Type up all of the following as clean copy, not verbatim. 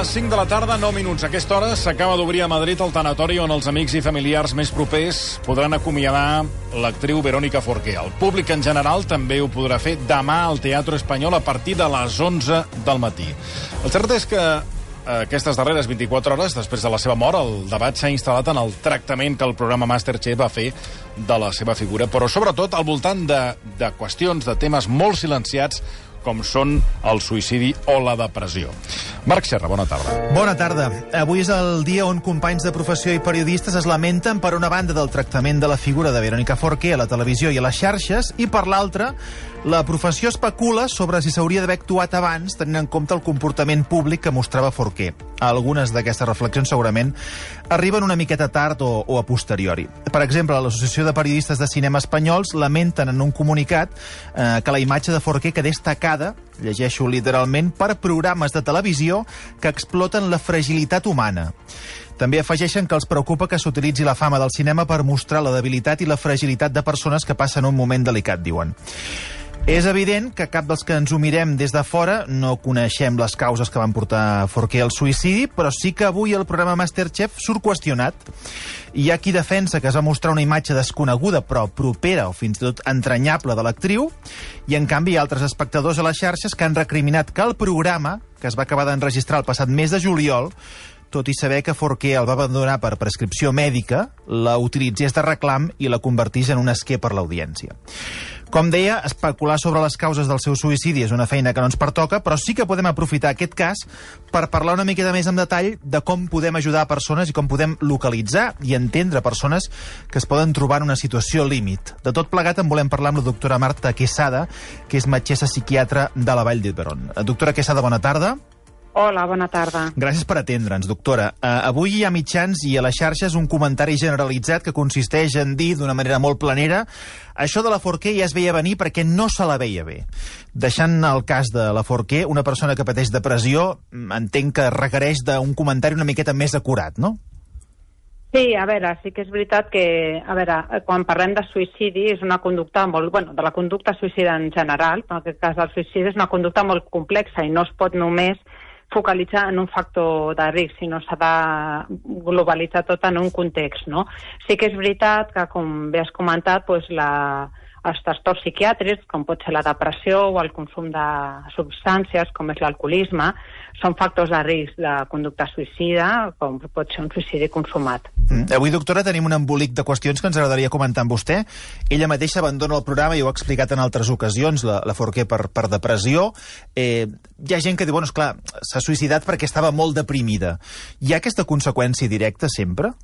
les 5 de la tarda, 9 minuts. A aquesta hora s'acaba d'obrir a Madrid el tanatori on els amics i familiars més propers podran acomiadar l'actriu Verónica Forqué. El públic en general també ho podrà fer demà al Teatre Espanyol a partir de les 11 del matí. El cert és que aquestes darreres 24 hores, després de la seva mort, el debat s'ha instal·lat en el tractament que el programa Masterchef va fer de la seva figura, però sobretot al voltant de qüestions, de temes molt silenciats, com són el suïcidi o la depressió. Marc Serra, bona tarda. Bona tarda. Avui és el dia on companys de professió i periodistes es lamenten per una banda del tractament de la figura de Verónica Forqué a la televisió i a les xarxes i per l'altra la professió especula sobre si s'hauria d'haver actuat abans tenint en compte el comportament públic que mostrava Forqué. Algunes d'aquestes reflexions segurament arriben una miqueta tard o a posteriori. Per exemple, l'Associació de Periodistes de Cinema Espanyols lamenten en un comunicat que la imatge de Forqué quedés tacada, llegeixo literalment, per programes de televisió que exploten la fragilitat humana. També afegeixen que els preocupa que s'utilitzi la fama del cinema per mostrar la debilitat i la fragilitat de persones que passen un moment delicat, diuen. És evident que cap dels que ens ho mirem des de fora no coneixem les causes que van portar Forqué al suïcidi, però sí que avui el programa Masterchef surt qüestionat. Hi ha qui defensa que es va mostrar una imatge desconeguda però propera o fins i tot entranyable de l'actriu, i en canvi hi ha altres espectadors a les xarxes que han recriminat que el programa, que es va acabar d'enregistrar el passat mes de juliol, tot i saber que Forqué el va abandonar per prescripció mèdica, la utilitzés de reclam i la convertís en un esquer per l'audiència. Com deia, especular sobre les causes del seu suïcidi és una feina que no ens pertoca, però sí que podem aprofitar aquest cas per parlar una miqueta més en detall de com podem ajudar a persones i com podem localitzar i entendre persones que es poden trobar en una situació límit. De tot plegat en volem parlar amb la doctora Marta Quesada, que és metgessa psiquiatra de la Vall d'Hebron. Doctora Quesada, bona tarda. Hola, bona tarda. Gràcies per atendre'ns, doctora. Avui hi ha mitjans i a les xarxes un comentari generalitzat que consisteix en dir, d'una manera molt planera, això de la Forqué ja es veia venir perquè no se la veia bé. Deixant el cas de la Forqué, una persona que pateix depressió, entenc que requereix d'un comentari una miqueta més acurat, no? Sí, a veure, sí que és veritat que, quan parlem de suïcidi és una conducta molt, de la conducta suïcida en general, però en aquest cas el suïcidi és una conducta molt complexa i no es pot només focalitzar en un factor de risc, sinó s'ha de globalitzar tot en un context, no? Sí que és veritat que, com bé has comentat, els trastorns psiquiàtrics, com pot ser la depressió o el consum de substàncies, com és l'alcoholisme, són factors de risc de conducta suïcida, com pot ser un suïcidi consumat. Avui, doctora, tenim un embolic de qüestions que ens agradaria comentar amb vostè. Ella mateixa abandona el programa, i ho ha explicat en altres ocasions, la Forqué per depressió. Hi ha gent que diu, esclar, s'ha suïcidat perquè estava molt deprimida. Hi ha aquesta conseqüència directa sempre?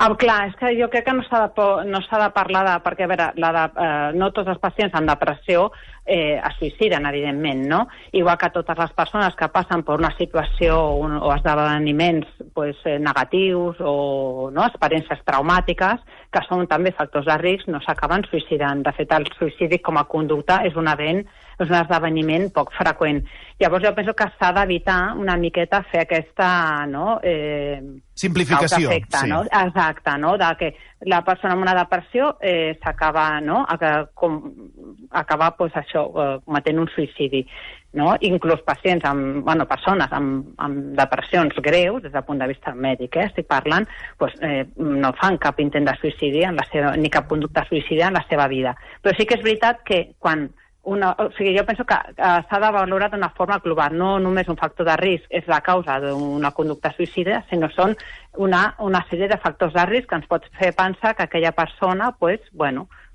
Clar, és que jo crec que no s'ha de parlar de... Perquè, a veure, no tots els pacients amb depressió es suïciden, evidentment, no? Igual que totes les persones que passen per una situació o esdeveniments negatius o experiències traumàtiques, que són també factors de risc, no s'acaben suïcidant. De fet, el suïcidi com a conducta és un esdeveniment poc freqüent. Llavors jo penso que s'ha d'evitar una miqueta fer aquesta simplificació. Causa-efecte, sí. Exacte, no? De que la persona amb una depressió s'acaba, cometent un suïcidi, no? Inclús pacients persones amb depressions greus, des del punt de vista mèdic, estic parlant, no fan cap intent de suïcidi ni cap conducta suïcida en la seva vida. Però sí que és veritat que jo penso que s'ha de valorar d'una forma global, no només un factor de risc és la causa d'una conducta suïcida, sinó són una sèrie de factors de risc que ens pot fer pensar que aquella persona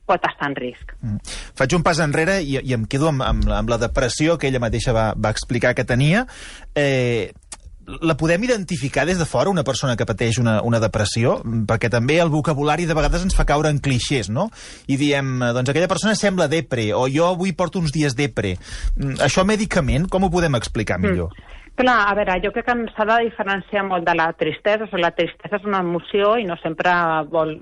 pot estar en risc. Faig un pas enrere i em quedo amb la depressió que ella mateixa va explicar que tenia. La podem identificar des de fora, una persona que pateix una depressió? Perquè també el vocabulari de vegades ens fa caure en clixés, no? I diem, aquella persona sembla depre, o jo avui porto uns dies depre. Això mèdicament, com ho podem explicar millor? Clar, a veure, jo crec que s'ha de diferenciar molt de la tristesa. La tristesa és una emoció i no sempre vol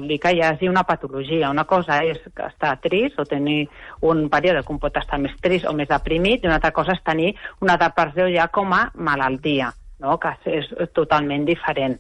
dir que hi hagi una patologia. Una cosa és estar trist o tenir un període que pot estar més trist o més deprimit, i una altra cosa és tenir una depressió ja com a malaltia, no? Que és totalment diferent.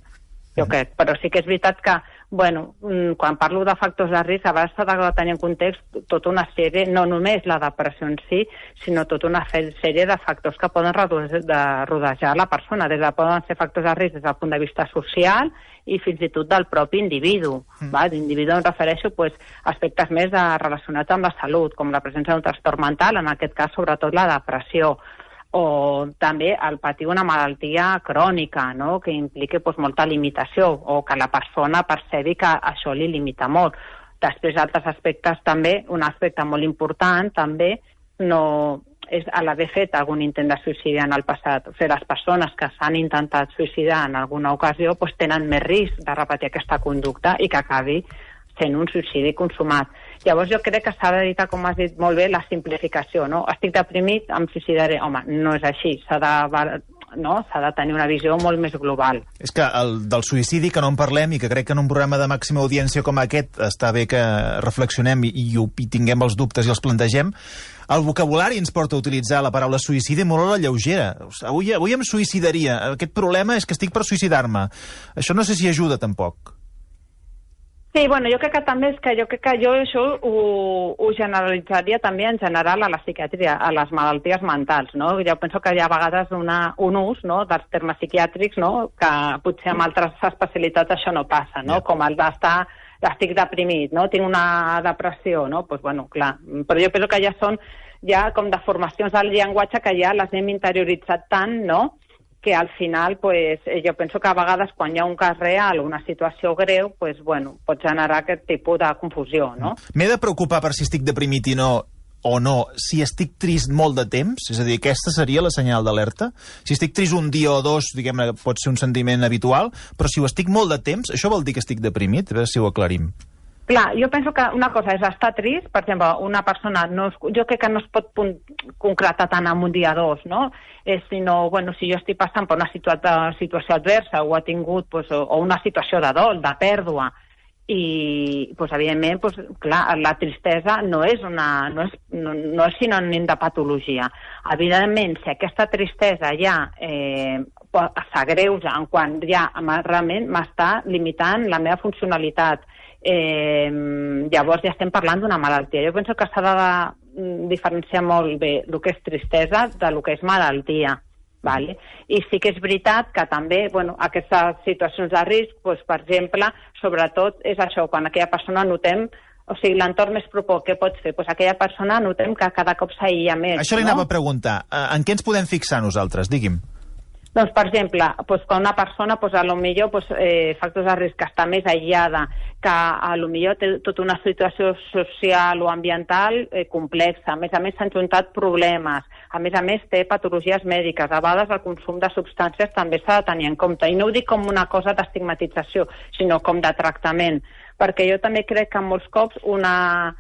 Jo crec, però sí que és veritat que Bueno, quan parlo de factors de risc, a vegades s'ha de tenir en context tota una sèrie, no només la depressió en si, sinó tota una sèrie de factors que poden rodejar la persona. Poden ser factors de risc des del punt de vista social i fins i tot del propi individu. D'individu em refereixo a aspectes més relacionats amb la salut, com la presència d'un trastorn mental, en aquest cas sobretot la depressió, o també el patir una malaltia crònica, no?, que impliqui molta limitació, o que la persona percebi que això li limita molt. Després, altres aspectes també, un aspecte molt important també no és l'haver fet algun intent de suïcidi en el passat. O sigui, les persones que s'han intentat suïcidar en alguna ocasió tenen més risc de repetir aquesta conducta i que acabi sent un suïcidi consumat. Llavors jo crec que s'ha d'evitar, com has dit molt bé, la simplificació, no? Estic deprimit, em suïcidaré. Home, no és així. S'ha de tenir una visió molt més global. És que del suïcidi que no en parlem i que crec que en un programa de màxima audiència com aquest està bé que reflexionem i tinguem els dubtes i els plantegem, el vocabulari ens porta a utilitzar la paraula suïcidi molt a la lleugera. Avui em suïcidaria. Aquest problema és que estic per suïcidar-me. Això no sé si ajuda tampoc. Sí, bueno, jo crec que també és que jo això ho generalitzaria també en general a la psiquiatria, a les malalties mentals, no? Jo penso que hi ha a vegades un ús, no?, dels termes psiquiàtrics, no?, que potser amb altres especialitats això no passa, no? Com el d'estar, estic deprimit, no?, tinc una depressió, no? Doncs, bueno, clar, però jo penso que ja són com deformacions del llenguatge que ja les hem interioritzat tant, no?, que al final, jo penso que a vegades quan hi ha un cas real o una situació greu, pot generar aquest tipus de confusió, no? M'he de preocupar per si estic deprimit o no, si estic trist molt de temps? És a dir, aquesta seria la senyal d'alerta? Si estic trist un dia o dos, diguem-ne, pot ser un sentiment habitual, però si ho estic molt de temps, això vol dir que estic deprimit? A veure si ho aclarim. Clar, jo penso que una cosa és estar trist, per exemple, una persona, jo crec que no es pot concretar tant en un dia o dos, no? Sinó, si jo estic passant per una situació adversa o ha tingut o una situació de dol, de pèrdua, i, evidentment, clar, la tristesa no és sinònim de patologia. Evidentment, si aquesta tristesa ja s'agreuja en quan ja realment m'està limitant la meva funcionalitat, llavors ja estem parlant d'una malaltia. Jo penso que s'ha de diferenciar molt bé el que és tristesa del que és malaltia. Vale? I sí que és veritat que també aquestes situacions de risc, per exemple, sobretot és això, quan aquella persona notem, o sigui, l'entorn més proper, què pots fer? Aquella persona notem que cada cop s'aïlla més. Això li anava a preguntar. En què ens podem fixar nosaltres? Digui'm. Doncs, per exemple, quan una persona, factors de risc, que està més aïllada, que potser té tota una situació social o ambiental complexa, a més s'han juntat problemes, a més té patologies mèdiques, a vegades el consum de substàncies també s'ha de tenir en compte, i no ho dic com una cosa d'estigmatització, sinó com de tractament, perquè jo també crec que molts cops una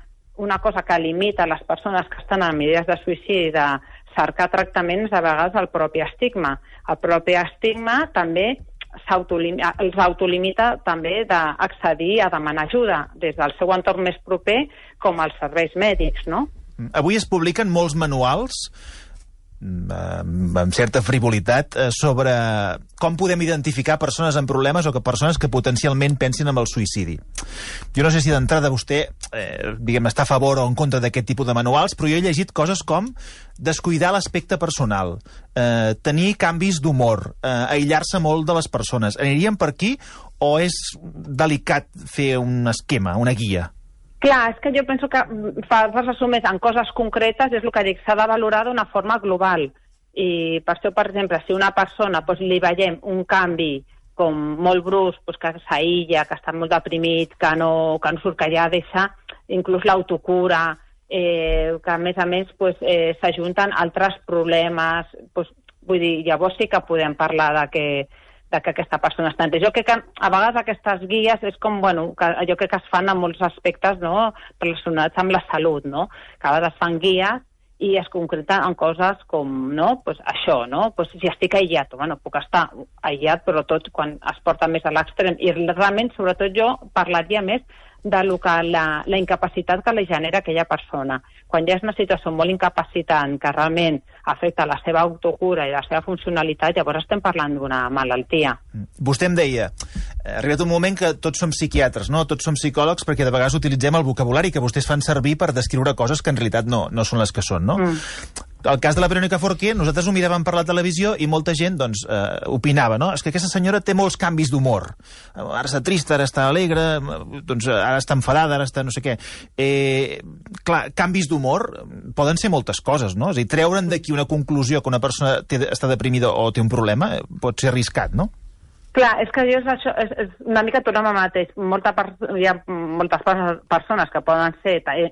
cosa que limita les persones que estan en idees de suïcidi, de cercar tractaments, a vegades el propi estigma. El propi estigma també els autolimita també d'accedir a demanar ajuda des del seu entorn més proper com als serveis mèdics, no? Avui es publiquen molts manuals amb certa frivolitat sobre com podem identificar persones amb problemes o persones que potencialment pensin en el suïcidi. Jo no sé si d'entrada vostè està a favor o en contra d'aquest tipus de manuals, però jo he llegit coses com descuidar l'aspecte personal, tenir canvis d'humor, aïllar-se molt de les persones. Aniríem per aquí o és delicat fer un esquema, una guia? Clar, és que jo penso que per resumir en coses concretes és el que dic, s'ha de valorar d'una forma global. I per això, per exemple, si una persona li veiem un canvi com molt brusc, que s'aïlla, que està molt deprimit, que no surt, que ja deixa inclús l'autocura, que a més s'ajunten altres problemes, vull dir, llavors sí que podem parlar que aquesta persona està en risc. Jo crec que a vegades aquestes guies és com, jo crec que es fan en molts aspectes, no?, relacionats amb la salut, no?, que a vegades fan guies i es concreten en coses com, això, si estic aïllat, puc estar aïllat, però tot quan es porta més a l'extrem. I realment, sobretot jo, parlaria més de la incapacitat que li genera aquella persona. Quan ja és una situació molt incapacitant que realment afecta la seva autocura i la seva funcionalitat, llavors estem parlant d'una malaltia. Vostè em deia, ha arribat un moment que tots som psiquiatres, no? Tots som psicòlegs, perquè de vegades utilitzem el vocabulari que vostès fan servir per descriure coses que en realitat no són les que són, no? El cas de la Verònica Forqué, nosaltres ho miràvem per la televisió i molta gent opinava, no? És que aquesta senyora té molts canvis d'humor. Ara està trista, ara està alegre, ara està enfadada, ara està no sé què. Clar, canvis d'humor poden ser moltes coses, no? És a dir, treure'n d'aquí una conclusió que una persona està deprimida o té un problema pot ser arriscat, no? Clar, és que és una mica tornem al mateix. Hi ha moltes persones que poden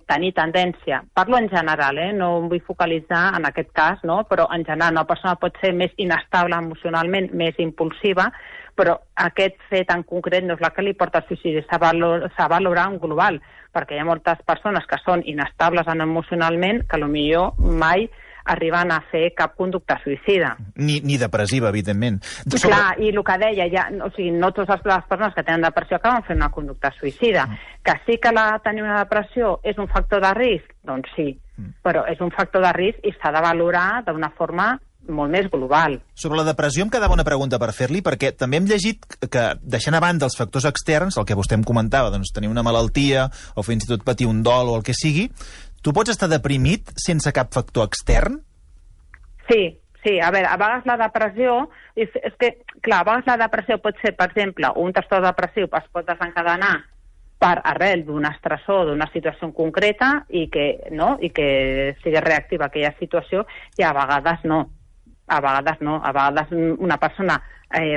tenir tendència, parlo en general, no em vull focalitzar en aquest cas, no? Però en general una persona pot ser més inestable emocionalment, més impulsiva, però aquest fet en concret no és la que li porta al suïcidi, s'ha de valorar en global, perquè hi ha moltes persones que són inestables emocionalment que potser mai arriben a fer cap conducta suïcida. Ni depressiva, evidentment. Clar, i el que deia, no totes les persones que tenen depressió acaben fent una conducta suïcida. Que sí que tenir una depressió és un factor de risc? Doncs sí, però és un factor de risc i s'ha de valorar d'una forma molt més global. Sobre la depressió em quedava una pregunta per fer-li, perquè també hem llegit que, deixant a banda els factors externs, el que vostè em comentava, doncs tenir una malaltia o fins i tot patir un dol o el que sigui, tu pots estar deprimit sense cap factor extern? Sí. A veure, a vegades la depressió... És que, clar, a vegades la depressió pot ser, per exemple, un trastorn depressiu es pot desencadenar per arrel d'un estressor, d'una situació concreta i que sigui reactiva aquella situació, i a vegades no. A vegades una persona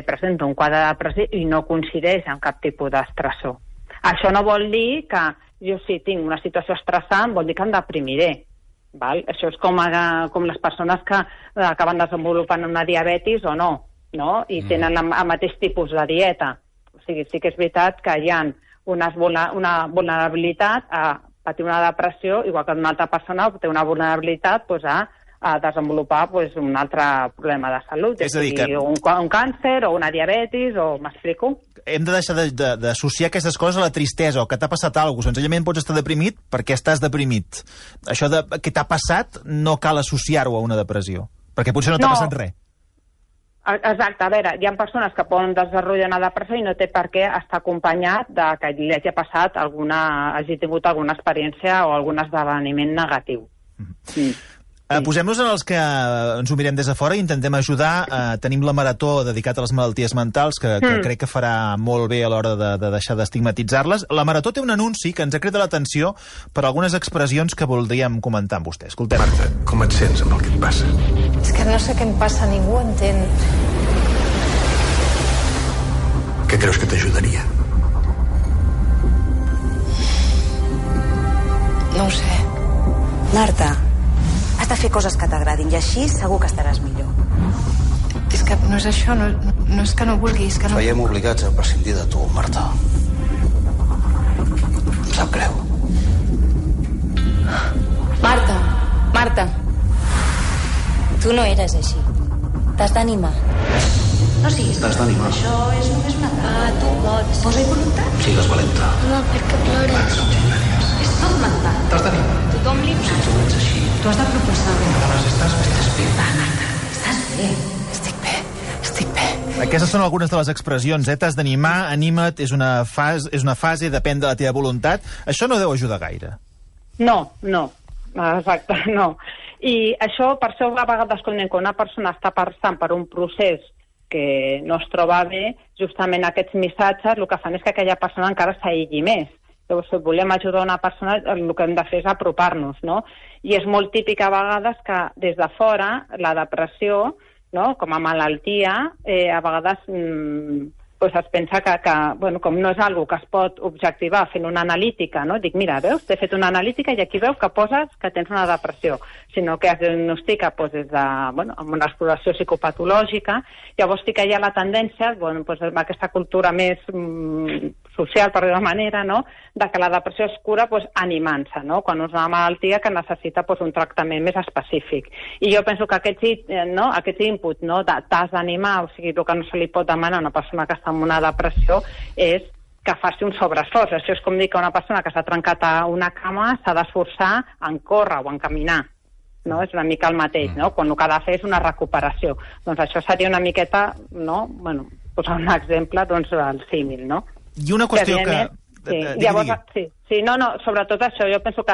presenta un quadre depressiu i no coincideix amb cap tipus d'estressor. Això no vol dir que jo si tinc una situació estressant vol dir que em deprimiré. Val? Això és com les persones que acaben desenvolupant una diabetis o no? I tenen el mateix tipus de dieta. O sigui, sí que és veritat que hi ha una vulnerabilitat a patir una depressió, igual que una altra persona té una vulnerabilitat a desenvolupar un altre problema de salut. És a dir, que... un càncer o una diabetis, m'explico? Hem de deixar d'associar aquestes coses a la tristesa o que t'ha passat alguna cosa. Senzillament pots estar deprimit perquè estàs deprimit. Això que t'ha passat no cal associar-ho a una depressió, perquè potser no t'ha passat res. Exacte, a veure, hi ha persones que poden desenvolupar una depressió i no té per què estar acompanyat de que li hagi passat hagi tingut alguna experiència o algun esdeveniment negatiu. Posem-nos en els que ens ho mirem des de fora i intentem ajudar. Tenim la marató dedicat a les malalties mentals, que crec que farà molt bé a l'hora de deixar d'estigmatitzar-les. La marató té un anunci que ens ha cridat l'atenció per algunes expressions que voldríem comentar amb vostè. Escoltem. Marta, com et sents amb el que et passa? És que no sé què em passa, ningú entén. Què creus que t'ajudaria? No ho sé. Marta, has de fer coses que t'agradin i així segur que estaràs millor. És que no és això, no és que no vulgui, és que no... Veiem obligats a prescindir de tu, Marta. Em sap greu. Marta, tu no eres així. T'has d'animar. No siguis... T'has d'animar. Això és només una etapa. Tu pots. Posa-hi voluntat. Sigues valenta. No, perquè plores. És tot mental. T'has d'animar. Tothom li Si tu ets així, Tu has de proposar. estàs bé. Va, Marta, estàs bé. Estic bé. Aquestes són algunes de les expressions. T'has d'animar, anima't, és una fase, depèn de la teva voluntat. Això no deu ajudar gaire. No. Exacte, no. I això, per això, a vegades, quan una persona està passant per un procés que no es troba bé, justament aquests missatges el que fan és que aquella persona encara s'aïlli més. Llavors, si volem ajudar una persona, el que hem de fer és apropar-nos, no? I és molt típic a vegades que des de fora la depressió, no, com a malaltia, a vegades es pensa que com no és algo que es pot objectivar fent una analítica, no? Dic, mira, veus, t'he fet una analítica i aquí veus que poses que tens una depressió, sinó que es diagnostica des de, amb una exploració psicopatològica. Llavors sí que hi ha la tendència, amb aquesta cultura més social, per dir-ho manera, no?, de que la depressió es cura animant-se, no?, quan és una malaltia que necessita un tractament més específic. I jo penso que aquest input, no?, de t'has d'animar, o sigui, el que no se li pot demanar a una persona que està en una depressió és que faci un sobreesforç. Això és com dir que una persona que s'ha trencat a una cama s'ha d'esforçar en córrer o en caminar. No? És una mica el mateix, no? Quan el que ha de fer és una recuperació. Doncs això seria una miqueta, no? Bueno, posar un exemple, doncs, el símil, no? I una qüestió que... Sí, llavors, sí, no, sobretot això, jo penso que,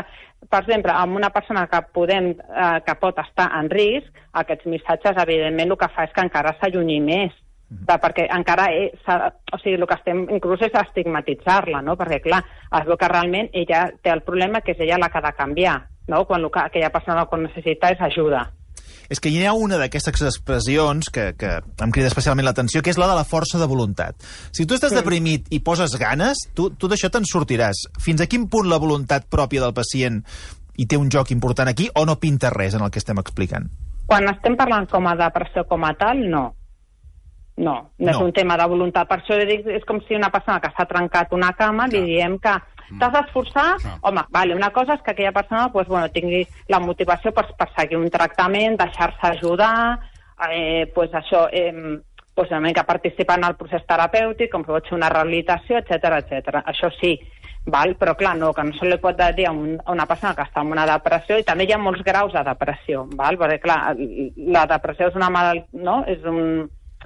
per exemple, amb una persona que que pot estar en risc, aquests missatges, evidentment, el que fa és que encara s'allunyi més, perquè encara, o sigui, el que estem inclús és estigmatitzar-la, no? Perquè, clar, es veu que realment ella té el problema que és ella la que ha de canviar, no? Quan aquella persona que necessita és ajuda. És que hi ha una d'aquestes expressions que em crida especialment l'atenció, que és la de la força de voluntat. Si tu estàs deprimit i poses ganes, tu d'això te'n sortiràs. Fins a quin punt la voluntat pròpia del pacient hi té un joc important aquí o no pinta res en el que estem explicant? Quan estem parlant com a depressió com a tal, no. No és un tema de voluntat. Per això dic, és com si una persona que s'ha trencat una cama li diem que t'has d'esforçar. Home, vale, una cosa és que aquella persona tingui la motivació per seguir un tractament, deixar-se ajudar, això, una mica participar en el procés terapèutic, com pot ser una rehabilitació, etc. Això sí, val? Però clar, que no se li pot dir a una persona que està en una depressió, i també hi ha molts graus de depressió, val? Perquè clar, la depressió és una malaltia, no?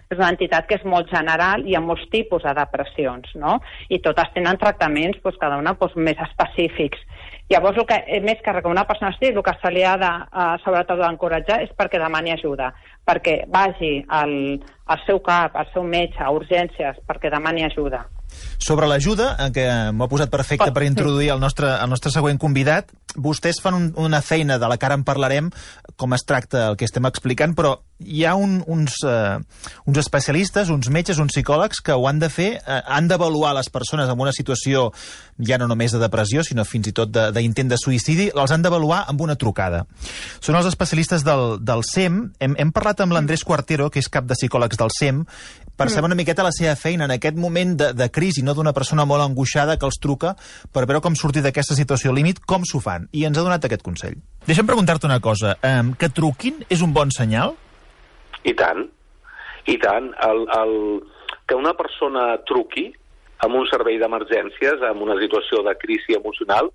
És una entitat que és molt general i hi ha molts tipus de depressions, no? I totes tenen tractaments, cada una més específics. Llavors, el que més que una persona estigui, el que se li ha de, sobretot, d'encoratjar és perquè demani ajuda, perquè vagi al seu CAP, al seu metge, a urgències, perquè demani ajuda. Sobre l'ajuda, que m'ho ha posat perfecte per introduir el nostre següent convidat, vostès fan una feina de la que ara en parlarem, com es tracta el que estem explicant, però hi ha uns especialistes, uns metges, uns psicòlegs que ho han de fer, han d'avaluar les persones en una situació ja no només de depressió, sinó fins i tot d'intent de suïcidi, els han d'avaluar amb una trucada. Són els especialistes del SEM. Hem parlat amb l'Andrés Cuartero, que és cap de psicòlegs del SEM, per saber una miqueta la seva feina en aquest moment de crisi, no, d'una persona molt angoixada que els truca per veure com sortir d'aquesta situació límit, com s'ho fan. I ens ha donat aquest consell. Deixa'm preguntar-te una cosa. Que truquin és un bon senyal? I tant. I tant. Que una persona truqui amb un servei d'emergències, en una situació de crisi emocional,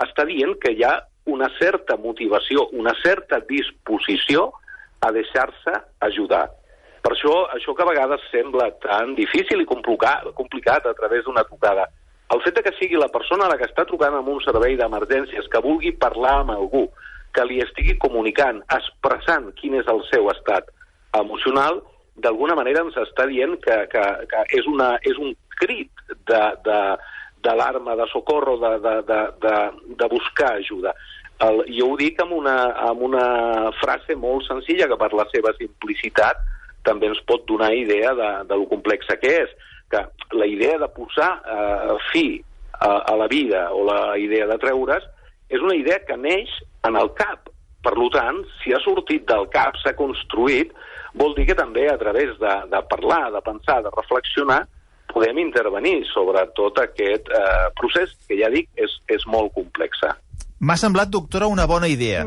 està dient que hi ha una certa motivació, una certa disposició a deixar-se ajudar. Per això que a vegades sembla tan difícil i complicat a través d'una trucada. El fet que sigui la persona la que està trucant amb un servei d'emergències, que vulgui parlar amb algú, que li estigui comunicant, expressant quin és el seu estat emocional, d'alguna manera ens està dient que és un crit d'alarma, de socorro, de buscar ajuda. Jo ho dic amb una frase molt senzilla que per la seva simplicitat també ens pot donar idea de lo complexa que és, que la idea de posar fi a la vida o la idea de treure's és una idea que neix en el cap. Per tant, si ha sortit del cap, s'ha construït, vol dir que també a través de parlar, de pensar, de reflexionar, podem intervenir sobre tot aquest procés que, ja dic, és molt complex. M'ha semblat, doctora, una bona idea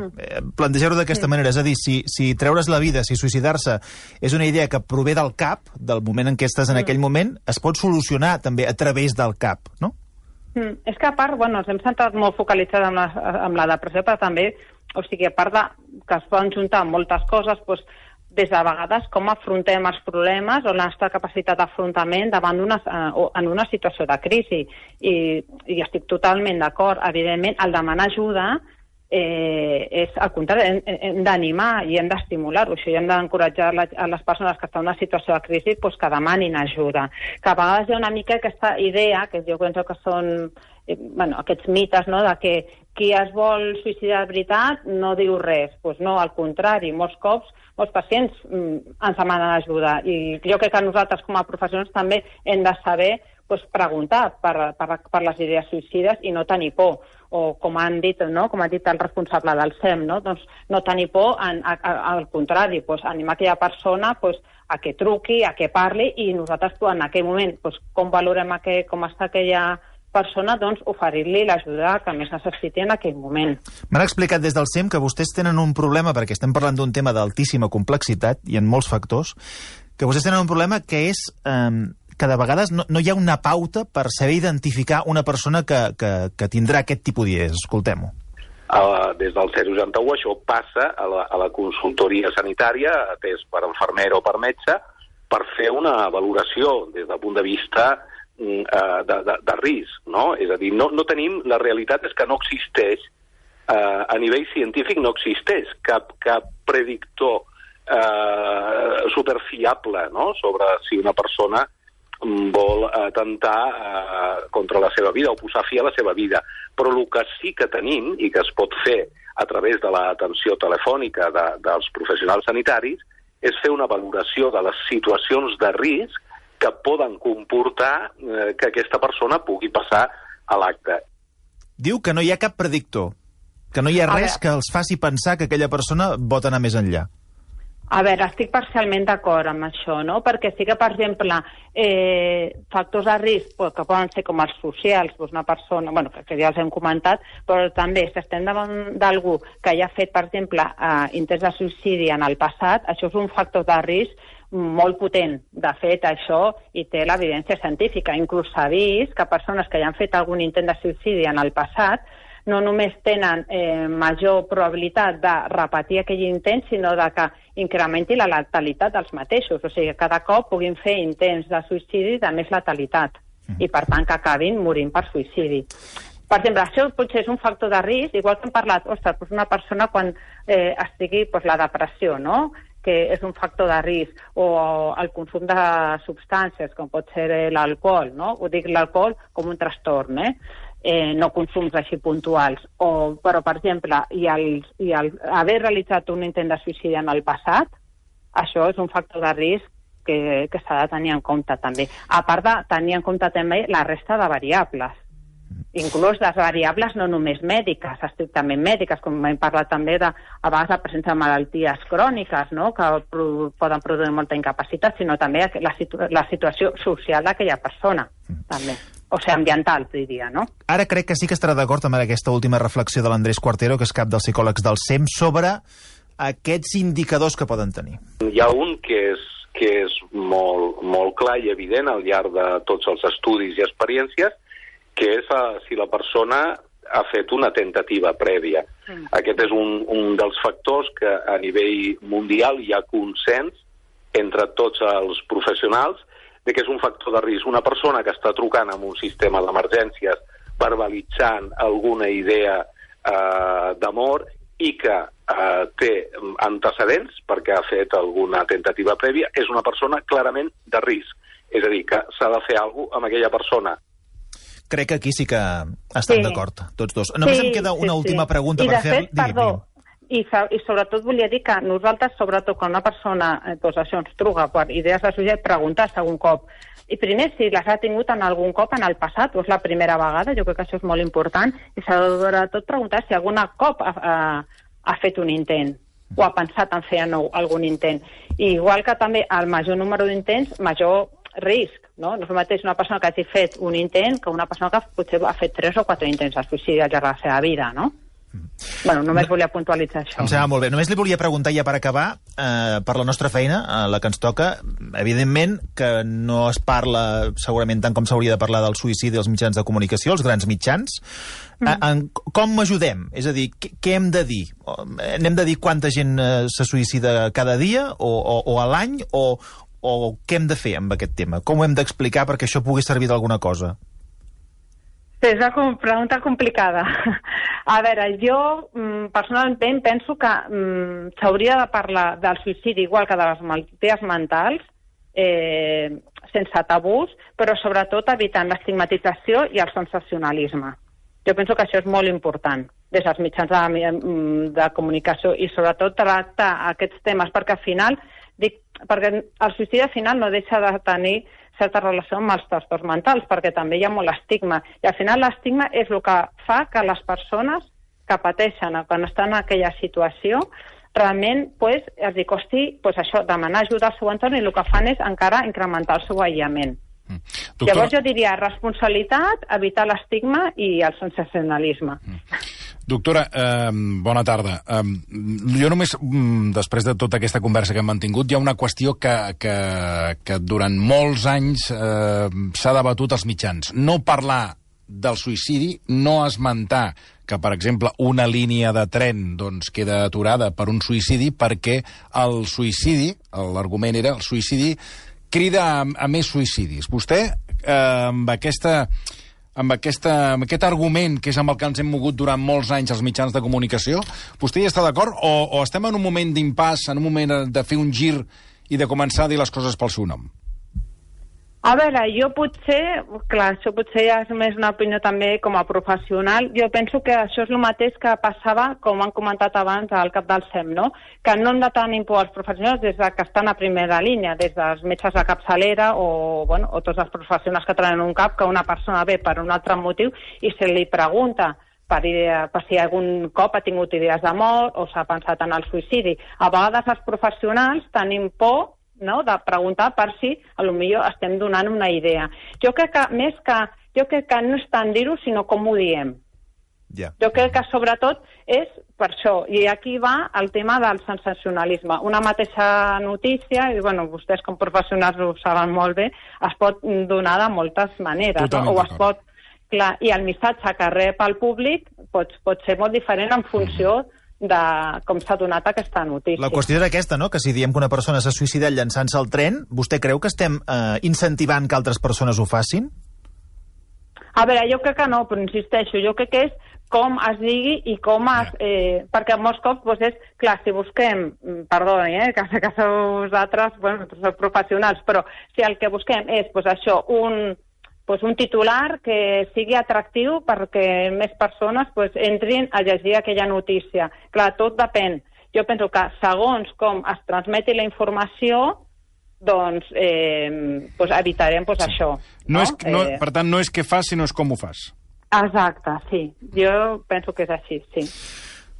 plantejar-ho d'aquesta manera. És a dir, si treure's la vida, si suïcidar-se és una idea que prové del cap, del moment en què estàs en aquell moment, es pot solucionar també a través del cap, no? És que a part, ens hem centrat molt focalitzat en la depressió, però també, o sigui, a part que es poden juntar moltes coses, des de vegades com afrontem els problemes o la nostra capacitat d'afrontament en una situació de crisi. I estic totalment d'acord. Evidentment, el demanar ajuda és al contrari, hem d'animar i hem d'estimular-ho. I hem d'encoratjar a les persones que estan en una situació de crisi que demanin ajuda. Que a vegades hi ha una mica aquesta idea, que jo penso que són aquests mites, no?, de que qui es vol suïcidar de veritat no diu res. Doncs no, al contrari, molts cops molts pacients ens demanen ajuda. I jo crec que nosaltres com a professionals també hem de saber preguntar per les idees suïcides i no tenir por. O com han dit, com ha dit el responsable del SEM, doncs no tenir por, al contrari, animar aquella persona a que truqui, a que parli, i nosaltres en aquell moment, com valorem com està aquella persona, doncs oferir-li l'ajuda que més necessiti en aquell moment. M'han explicat des del SEM que vostès tenen un problema, perquè estem parlant d'un tema d'altíssima complexitat i en molts factors, que vostès tenen un problema que és que de vegades no hi ha una pauta per saber identificar una persona que tindrà aquest tipus d'idees. Escoltem-ho. Des del 061 això passa a la consultoria sanitària, atès per infermer o per metge, per fer una valoració des del punt de vista de risc, no? És a dir, no tenim... La realitat és que no existeix, a nivell científic no existeix cap predictor superfiable, no?, sobre si una persona vol atemptar contra la seva vida o posar fi a la seva vida. Però el que sí que tenim i que es pot fer a través de l'atenció telefònica dels professionals sanitaris és fer una valoració de les situacions de risc que poden comportar que aquesta persona pugui passar a l'acte. Diu que no hi ha cap predictor, que no hi ha res que els faci pensar que aquella persona pot anar més enllà. A veure, estic parcialment d'acord amb això, no? Perquè sí que, per exemple, factors de risc que poden ser com els socials, una persona, bueno, que ja els hem comentat, però també si estem davant d'algú que ja ha fet, per exemple, intents de suïcidi en el passat, això és un factor de risc molt potent. De fet, això hi té l'evidència científica. Inclús s'ha vist que persones que ja han fet algun intent de suïcidi en el passat no només tenen major probabilitat de repetir aquell intent, sinó de que incrementi la letalitat dels mateixos. O sigui, que cada cop puguin fer intents de suïcidi de més letalitat i, per tant, que acabin morint per suïcidi. Per exemple, això potser és un factor de risc, igual que hem parlat, ostres, una persona quan estigui la depressió, no?, que és un factor de risc, o el consum de substàncies, com pot ser l'alcohol, no? Ho dic l'alcohol com un trastorn, no consums així puntuals. Però, per exemple, i haver realitzat un intent de suïcidi en el passat, això és un factor de risc que s'ha de tenir en compte també. A part de tenir en compte també la resta de variables. Inclús les variables no només mèdiques, estrictament mèdiques, com hem parlat també a vegades la presència de malalties cròniques, no?, que poden produir molta incapacitat, sinó també la situació social d'aquella persona, també. O sigui, ambiental, diria, no? Ara crec que sí que estarà d'acord amb aquesta última reflexió de l'Andrés Cuartero, que és cap dels psicòlegs del SEM, sobre aquests indicadors que poden tenir. Hi ha un que és molt clar i evident al llarg de tots els estudis i experiències, que és si la persona ha fet una tentativa prèvia. Aquest és un dels factors que a nivell mundial hi ha consens entre tots els professionals de que és un factor de risc. Una persona que està trucant amb un sistema d'emergències verbalitzant alguna idea d'amor i que té antecedents perquè ha fet alguna tentativa prèvia, és una persona clarament de risc. És a dir, que s'ha de fer alguna cosa amb aquella persona. Crec que aquí sí que estan d'acord, tots dos. Només em queda una última pregunta per fer... I de fet, perdó, i sobretot volia dir que nosaltres, sobretot quan una persona això ens truca per idees de suïcidi, preguntar segon cop. I primer, si les ha tingut en algun cop en el passat, o és la primera vegada, jo crec que això és molt important, i sobretot preguntar si algun cop ha fet un intent o ha pensat en fer algun intent. I igual que també el major número d'intents, major risc, no? No és el mateix una persona que hagi fet un intent que una persona que potser ha fet 3 o 4 intents de suïcidi al llarg de la seva vida, no? Bueno, només volia puntualitzar això. Em sembla molt bé. Només li volia preguntar ja per acabar, per la nostra feina, la que ens toca, evidentment que no es parla segurament tant com s'hauria de parlar del suïcidi als mitjans de comunicació, els grans mitjans. Com ajudem? És a dir, què hem de dir? Hem de dir quanta gent se suïcida cada dia o a l'any o què hem de fer amb aquest tema? Com ho hem d'explicar perquè això pugui servir d'alguna cosa? És una pregunta complicada. A veure, jo personalment penso que s'hauria de parlar del suïcidi igual que de les malalties mentals, sense tabús, però sobretot evitant l'estigmatització i el sensacionalisme. Jo penso que això és molt important des dels mitjans de comunicació i sobretot tractar aquests temes, perquè al final, perquè el suïcidi al final no deixa de tenir certa relació amb els trastorns mentals, perquè també hi ha molt estigma. I al final l'estigma és el que fa que les persones que pateixen quan estan en aquella situació realment els costi això, demanar ajuda al seu entorn, i el que fan és encara incrementar el seu aïllament. Llavors jo diria responsabilitat, evitar l'estigma i el sensacionalisme. Doctora, bona tarda. Jo només, després de tota aquesta conversa que hem mantingut, hi ha una qüestió que durant molts anys s'ha debatut als mitjans. No parlar del suïcidi, no esmentar que, per exemple, una línia de tren doncs, queda aturada per un suïcidi perquè el suïcidi, l'argument era el suïcidi, crida a més suïcidis. Vostè, amb aquest argument, que és amb el que ens hem mogut durant molts anys als mitjans de comunicació, vostè hi està d'acord o estem en un moment d'impàs, en un moment de fer un gir i de començar a dir les coses pel seu nom? A veure, jo potser, clar, això potser ja és més una opinió també com a professional, jo penso que això és el mateix que passava, com han comentat abans, al cap del SEM, no? Que no hem de tenir por als professionals des que estan a primera línia, des dels metges de capçalera o tots els professionals que treballen en un CAP, que una persona ve per un altre motiu i se li pregunta per si algun cop ha tingut idees de mort o s'ha pensat en el suïcidi. A vegades els professionals tenim por, no?, de preguntar per si potser estem donant una idea. Jo crec que no és tant dir-ho, sinó com ho diem. Yeah. Jo crec que sobretot és per això, i aquí va el tema del sensacionalisme. Una mateixa notícia, i vostès com professionals ho saben molt bé, es pot donar de moltes maneres, no? O es pot, clar, i el missatge que rep el públic pot ser molt diferent en funció de com s'ha donat aquesta notícia. La qüestió era aquesta, no?, que si diem que una persona s'ha suïcidat llançant-se al tren, vostè creu que estem incentivant que altres persones ho facin? A veure, jo crec que no, però insisteixo, jo crec que és com es digui i com es... perquè molts cops és... Clar, si busquem... Perdoni, que sé que sou vosaltres, sou professionals, però si el que busquem és, això, un titular que sigui atractiu perquè més persones entrin a llegir aquella notícia. Clar, tot depèn. Jo penso que segons com es transmeti la informació, doncs evitarem això. No? Per tant, no és què fas, sinó és com ho fas. Exacte, sí. Jo penso que és així, sí.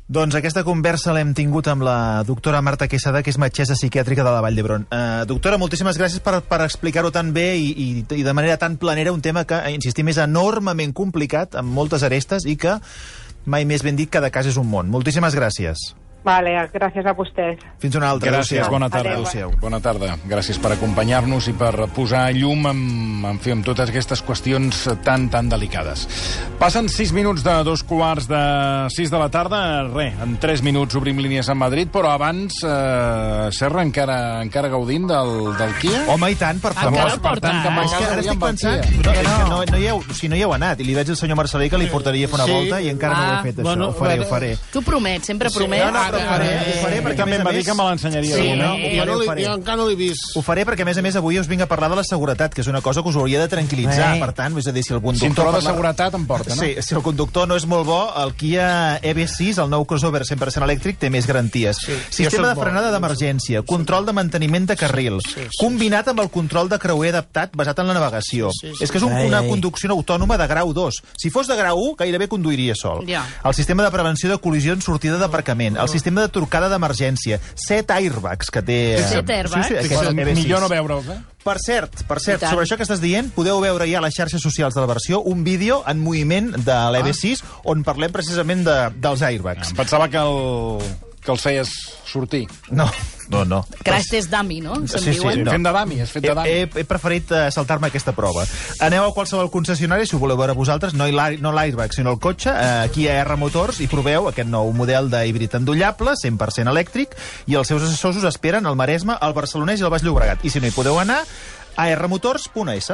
Doncs aquesta conversa l'hem tingut amb la doctora Marta Quesada, que és metgessa psiquiàtrica de la Vall d'Hebron. Doctora, moltíssimes gràcies per explicar-ho tan bé i de manera tan planera, un tema que, insistim, és enormement complicat, amb moltes arestes, i que, mai més ben dit, cada cas és un món. Moltíssimes gràcies. Vale, gràcies a vostès. Fins una altra. Gràcies, bona tarda. Adéu. Bona tarda. Gràcies per acompanyar-nos i per posar llum amb totes aquestes qüestions tan delicades. Passen 6 minuts de 2:15 de la tarda. En 3 minuts obrim línies a Madrid, però abans, Serra, encara gaudint del Kia? Home, i tant, per favor. Encara el porta. És que ara estic pensant... No hi heu anat, i li veig al senyor Marcelí que li portaria a fer una volta i encara no ho he fet, això. Ho faré. Tu promets, sempre promets. Ho faré perquè, també em va dir que me l'ensenyaria. Jo encara no l'he vist. Ho faré perquè, a més, avui us vinc a parlar de la seguretat, que és una cosa que us hauria de tranquil·litzar. Per tant, és a dir, si el conductor... Cinturó de seguretat em porta, no? Sí, si el conductor no és molt bo, el Kia EV6, el nou crossover 100% elèctric, té més garanties. Sistema de frenada d'emergència, control de manteniment de carril, combinat amb el control de creuer adaptat basat en la navegació. És que és una conducció autònoma de grau 2. Si fos de grau 1, gairebé conduiria sol. El sistema de prevenció de col·lisió en sortida d'aparcament, el sistema de trucada d'emergència, 7 airbags que té... 7 airbags? Sí, millor no veure'ls, Per cert, sobre això que estàs dient, podeu veure ja a les xarxes socials de la versió un vídeo en moviment de l'EV6 on parlem precisament dels airbags. Em pensava que els feies sortir. No. Crash test dummy, no? Sí. Fent de dummy, és fet de dummy. He preferit saltar-me aquesta prova. Aneu a qualsevol concessionari, si ho voleu veure vosaltres, no l'airbag, sinó el cotxe, aquí a R Motors, i proveu aquest nou model d'híbrid endollable, 100% elèctric, i els seus assessors us esperen al Maresme, al Barcelonès i al Baix Llobregat. I si no hi podeu anar, a rmotors.es.